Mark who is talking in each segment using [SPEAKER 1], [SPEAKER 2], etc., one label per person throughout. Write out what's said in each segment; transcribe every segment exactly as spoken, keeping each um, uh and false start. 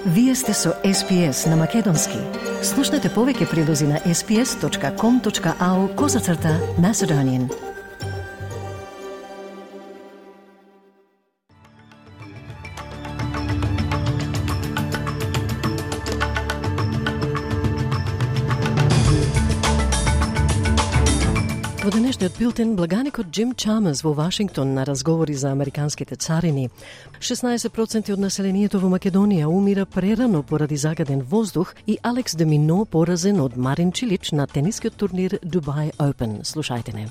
[SPEAKER 1] Вие сте со Ес Пи Ес на Македонски. Слушнете повеќе прилози на ес пи ес точка ком точка ау козацрта Macedonian. Во денешниот билтен, благаникот Джим Чамерс во Вашингтон на разговори за американските царини. шеснаесет проценти од населението во Македонија умира прерано поради загаден воздух и Алекс де Мино поразен од Марин Чилич на тенискиот турнир Dubai Open. Слушајте не.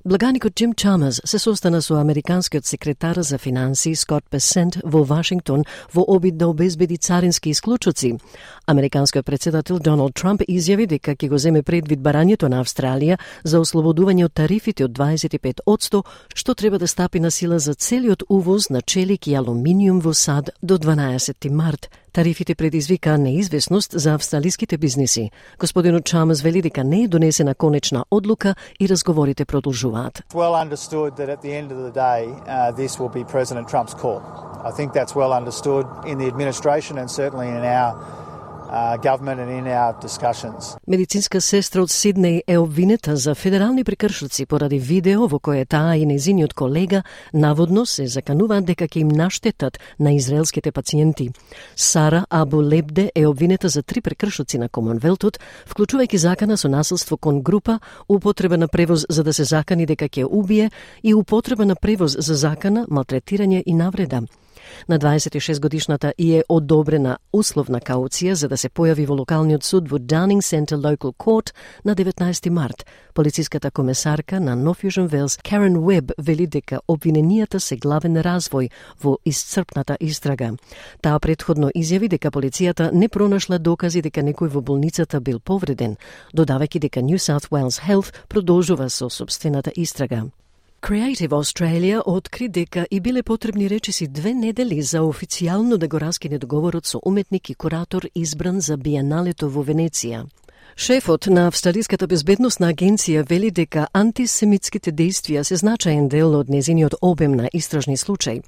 [SPEAKER 1] Благаникот Джим Чамерс се состана со американскиот секретар за финансии Скот Бесент во Вашингтон во обид да обезбеди царински исклучоци. Американскиот председател Доналд Трамп изјави дека ќе го земе предвид барањето на Австралија за ослободување од тарифите од дваесет и пет одсто, што треба да стапи на сила за целиот увоз на челик и алуминиум во САД до дванаесети март. Тарифите предизвика неизвестност за австралиските бизниси. Господинот Чамерс вели дека не е донесена конечна одлука и разговорите продолжуваат.
[SPEAKER 2] It's well understood that at the end of the day, uh, this will be President Trump's call. I think that's well understood in the administration and certainly in our Uh, government and in our discussions.
[SPEAKER 1] Медицинска сестра од Сиднеј е обвинета за федерални прекршоци поради видео во кое таа и незиниот колега наводно се закануваат дека ќе им наштетат на израелските пациенти. Сара Абу Лебде е обвинета за три прекршоци на Комонвелтот, вклучувајќи закана со насилство кон група, употреба на превоз за да се закани дека ќе убие и употреба на превоз за закана, малтретирање и навреда. На дваесет и шест годишната и е одобрена условна кауција за да се појави во локалниот суд во Downing Centre Local Court на деветнаесети март. Полициската комесарка на North Fusion Wales, Karen Webb, вели дека обвиненијата се главен развој во исцрпната истрага. Таа претходно изјави дека полицијата не пронашла докази дека некој во болницата бил повреден, додавајќи дека New South Wales Health продолжува со собствената истрага. Creative Australia откри дека и биле потребни речиси две недели за официјално да го раскине договорот со уметник и куратор избран за Биеналето во Венеција. Шефот на Австралиската безбедносна агенција вели дека антисемитските действија се значаен дел од незиниот обем на истражни случаи.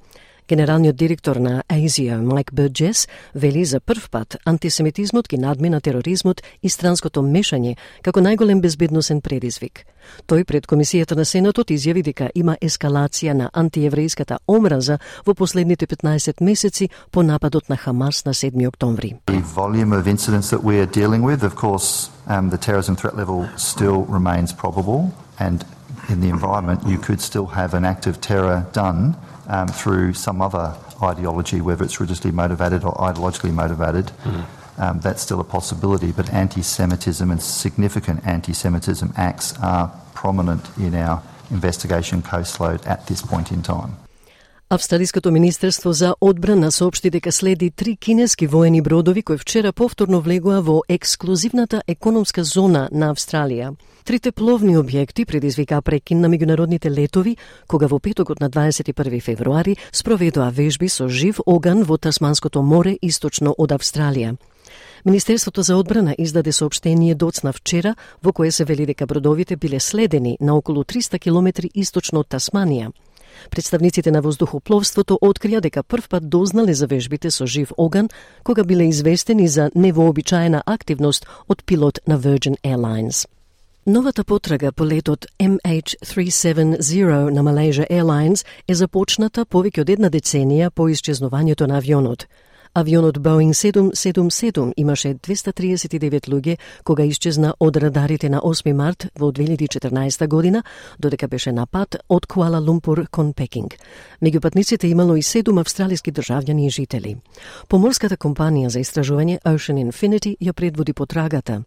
[SPEAKER 1] Генералниот директор на А С И О, Майк Бурджес, вели за прв пат антисемитизмот ги надмина тероризмот и странското мешање како најголем безбедносен предизвик. Тој пред Комисијата на Сенатот изјави дека има ескалација на антиеврејската омраза во последните петнаесет месеци по нападот на Хамас на седми октомври.
[SPEAKER 3] The volume of incidents that we are dealing with, of course, um, the terrorism threat level still remains probable, and in the environment you could still have an act of terror done Um, through some other ideology, whether it's religiously motivated or ideologically motivated. Mm. Um, that's still a possibility, but anti-Semitism and significant anti-Semitism acts are prominent in our investigation caseload at this point in time.
[SPEAKER 1] Австралиското министерство за одбрана соопшти дека следи три кинески воени бродови кои вчера повторно влегоа во ексклузивната економска зона на Австралија. Трите пловни објекти предизвикаа прекин на меѓународните летови, кога во петокот на дваесет и први февруари спроведоа вежби со жив оган во Тасманското море источно од Австралија. Министерството за одбрана издаде соопштение доцна вчера во кое се вели дека бродовите биле следени на околу триста километри источно од Тасманија. Представниците на воздухопловството открија дека првпат дознале за вежбите со жив оган кога биле известени за невообичаена активност од пилот на Virgin Airlines. Новата потрага по летот Ем Ейч триста седумдесет на Malaysia Airlines е започната повеќе од една деценија по исчезнувањето на авионот. Авионот Boeing седумстотини седумдесет и седум имаше двеста триесет и девет луѓе кога исчезна од радарите на осми март во две илјади и четрнаесета година, додека беше на пат од Куала Лумпур кон Пекинг. Меѓу патниците имало и седум австралиски државјани и жители. Поморската компанија за истражување Ocean Infinity ја предводи потрагата.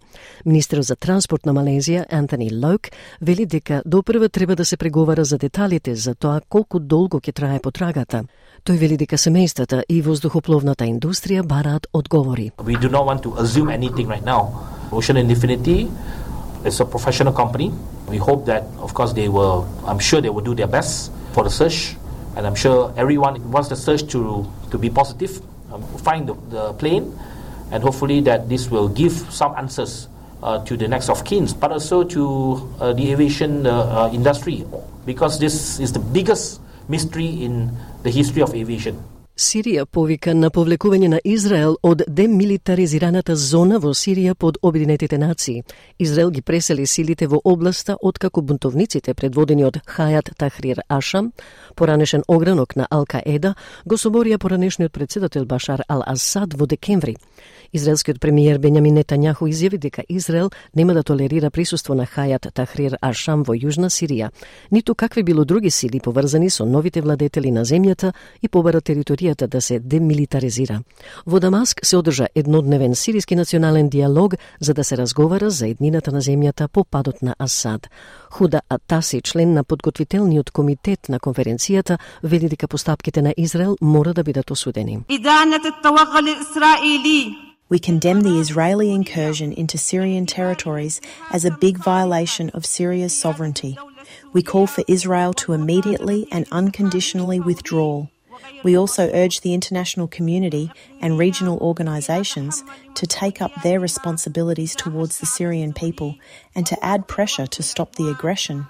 [SPEAKER 1] Министерот за транспорт на Малезија Антони Лоук вели дека допрва треба да се преговара за деталите за тоа колку долго ќе трае потрагата. Тој вели дека семејствата и воздухопловната индустрија бараат одговори.
[SPEAKER 4] We do not want to assume anything right now. Ocean Infinity is a professional company. We hope that, of course, they will, I'm sure they will do their best for the search. And I'm sure everyone wants the search to, to be positive, um, find the, the plane, and hopefully that this will give some answers uh, to the next of kin, but also to uh, the aviation uh, uh, industry, because this is the biggest mystery in the history of aviation.
[SPEAKER 1] Сирија повика на повлекување на Израел од демилитаризираната зона во Сирија под Обединетите нации. Израел ги пресели силите во областа откако бунтовниците предводени од Хајат Тахрир Ашам, поранешен огранок на Ал-Каеда, го соборија поранешниот председател Башар Ал-Асад во декември. Израелскиот премиер Бенјамин Нетањаху изјави дека Израел нема да толерира присуство на Хајат Тахрир Ашам во Јужна Сирија, ниту какви било други сили поврзани со новите владетели на земјата и побара територијата да се демилитаризира. Во Дамаск се одржа еднодневен сириски национален диалог за да се разговара за еднината на земјата по падот на Асад. Худа Атаси, член на подготвителниот комитет на конференцијата, вели дека постапките на Израел мора да бидат осудени.
[SPEAKER 5] We condemn the Israeli incursion into Syrian territories as a big violation of Syria's sovereignty. We call for Israel to immediately and unconditionally withdraw. We also urge the international community and regional organisations to take up their responsibilities towards the Syrian people and to add pressure to stop the aggression.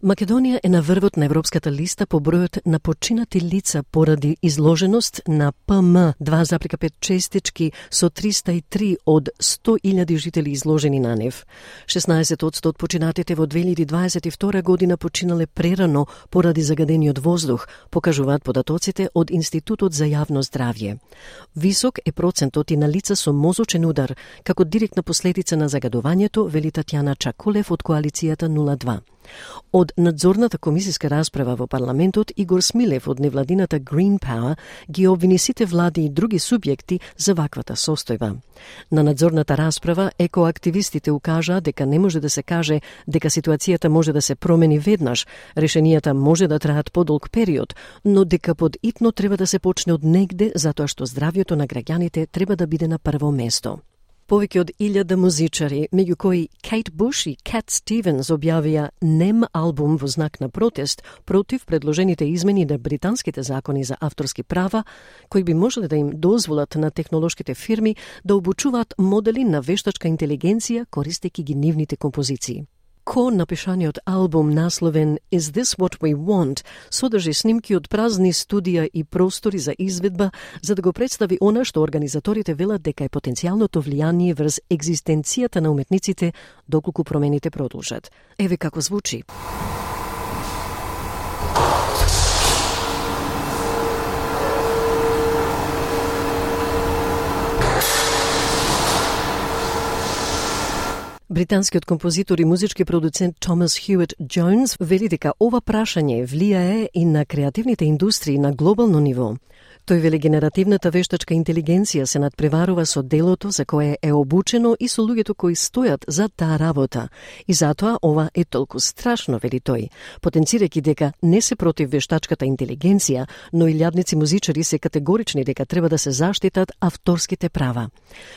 [SPEAKER 1] Македонија е на врвот на европската листа по бројот на починати лица поради изложеност на П М два запирка пет честички со триста и три од сто илјади жители изложени на нив. шеснаесет одсто од починатите во две илјади дваесет и втора година починале прерано поради загадениот воздух, покажуваат податоците од Институтот за јавно здравје. Висок е процентот и на лица со мозочен удар, како директна последица на загадувањето, вели Татјана Чакулев од коалицијата нула два. Од надзорната комисиска расправа во парламентот, Игор Смилев од невладината Green Power ги обвини сите влади и други субјекти за ваквата состојба. На надзорната расправа екоактивистите укажаа дека не може да се каже дека ситуацијата може да се промени веднаш, решенијата може да траат подолг период, но дека подитно треба да се почне од негде затоа што здравјето на граѓаните треба да биде на прво место. Повеќе од илјада музичари, меѓу кои Кейт Буш и Кат Стивенс, објавија нем албум во знак на протест против предложените измени на британските закони за авторски права, кои би можеле да им дозволат на технолошките фирми да обучуваат модели на вештачка интелигенција користејќи ги нивните композиции. Ко напишаниот албум насловен Is This What We Want содржи снимки од празни студија и простори за изведба за да го представи она што организаторите велат дека е потенцијалното влијание врз екзистенцијата на уметниците доколку промените продолжат. Еве како звучи. Британскиот композитор и музички продуцент Томас Хјует Джонс вели дека ова прашање влијае и на креативните индустрии на глобално ниво. Тој вели генеративната вештачка интелигенција се надпреварува со делото за кое е обучено и со луѓето кои стојат за таа работа. И затоа ова е толку страшно, вели тој, потенцирајќи дека не се против вештачката интелигенција, но илјадници музичари се категорични дека треба да се заштитат авторските права.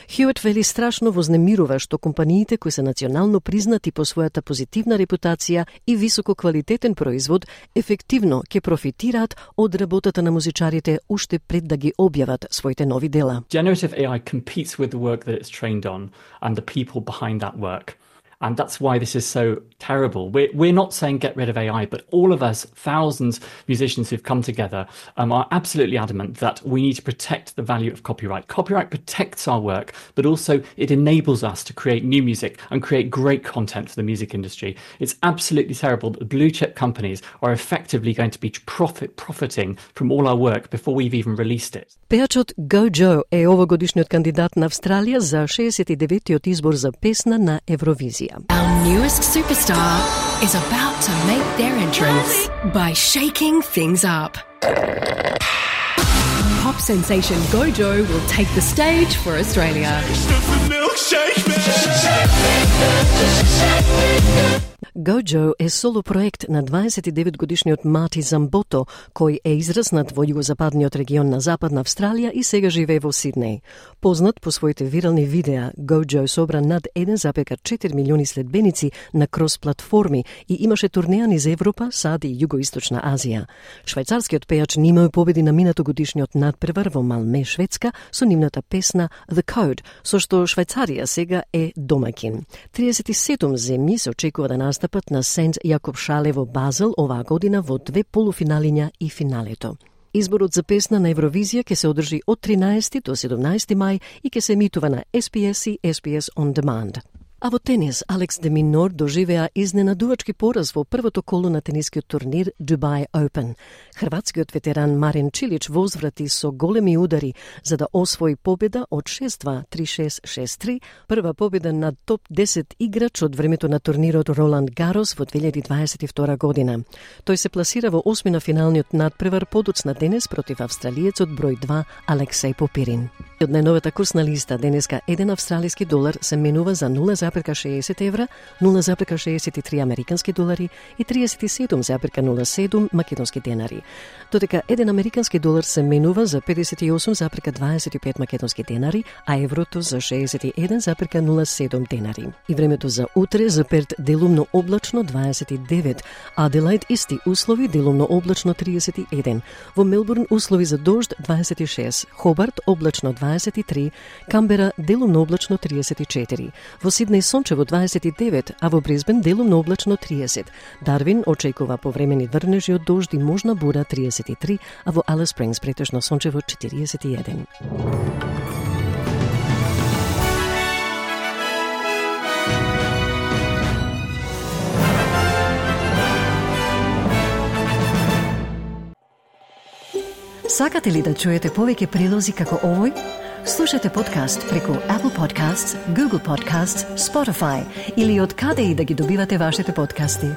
[SPEAKER 1] Хјует вели страшно вознемирува што компаниите кои се национално признати по својата позитивна репутација и високо квалитетен производ ефективно ќе профитираат од работата на музичарите уште пред да ги објават своите нови дела.
[SPEAKER 6] Generative A I competes with the work that it's trained on and the people behind that work. And that's why this is so terrible. We're, we're not saying get rid of A I, but all of us, thousands of musicians who've come together, um, are absolutely adamant that we need to protect the value of copyright. Copyright protects our work, but also it enables us to create new music and create great content for the music industry. It's absolutely terrible that the blue chip companies are effectively going to be profit, profiting from all our work before we've even released it.
[SPEAKER 1] Пејачот Gojo е овогодишниот кандидат на Австралија за шеесет и деветиот избор за песна на Евровизија.
[SPEAKER 7] Our newest superstar is about to make their entrance by shaking things up. Pop sensation Gojo will take the stage for Australia.
[SPEAKER 1] Gojo е соло проект на дваесет и девет годишниот Мати Замбото, кој е израснат во југозападниот регион на Западна Австралија и сега живее во Сиднеј. Познат по своите вирални видеа, Gojo собра над еден запир четири милиони следбеници на крос-платформи и имаше турнеа низ Европа, САД и Југоисточна Азија. Швајцарскиот пејач нимају победи на минато годишниот надпревар во Малме, Шведска, со нивната песна The Code, со што Швајцарија сега е домаќин. триесет и седум земји се очекува да настапат настапат на Сент Јакоб Шале во Базел оваа година во две полуфиналиња и финалето. Изборот за песна на Евровизија ќе се одржи од тринаесети до седумнаесети мај и ќе се емитува на Ес Би Ес и Ес Би Ес On Demand. А во тенис, Алекс де Минор доживеа изненадувачки пораз во првото коло на тенискиот турнир Dubai Open. Хрватскиот ветеран Марин Чилич возврати со големи удари за да освои победа од шест-два, три-шест, шест-три, прва победа над топ десет играч од времето на турнирот Роланд Гарос во две илјади дваесет и втора година. Тој се пласира во осми на финалниот надпревар подоцна денес против австралиецот број два Алексеј Попирин. Од најновата курсна листа денеска еден австралиски долар се менува за нула зарез шеесет евра, нула зарез шеесет и три американски долари и триесет и седум зарез нула седум македонски денари. Додека еден американски долар се менува за педесет и осум зарез дваесет и пет македонски денари, а еврото за шеесет и еден зарез нула седум денари. И времето за утре за Перт делумно облачно дваесет и девет, Аделаид исти услови делумно облачно триесет и еден, во Мелбурн услови за дожд дваесет и шест, Хобарт облачно дваесет и три, Камбера делумно облачно триесет и четири, во Сиднеј сончево дваесет и девет, а во Брисбен делумно облачно триесет. Дарвин очекува повремени врнежи од дожд и можна бура триесет и три, а во Алис Спрингс претежно сончево четириесет и еден.
[SPEAKER 7] Сакате ли да чуете повеќе прилози како овој? Слушате подкаст преку Apple Podcasts, Google Podcasts, Spotify или од каде и да ги добивате вашите подкасти.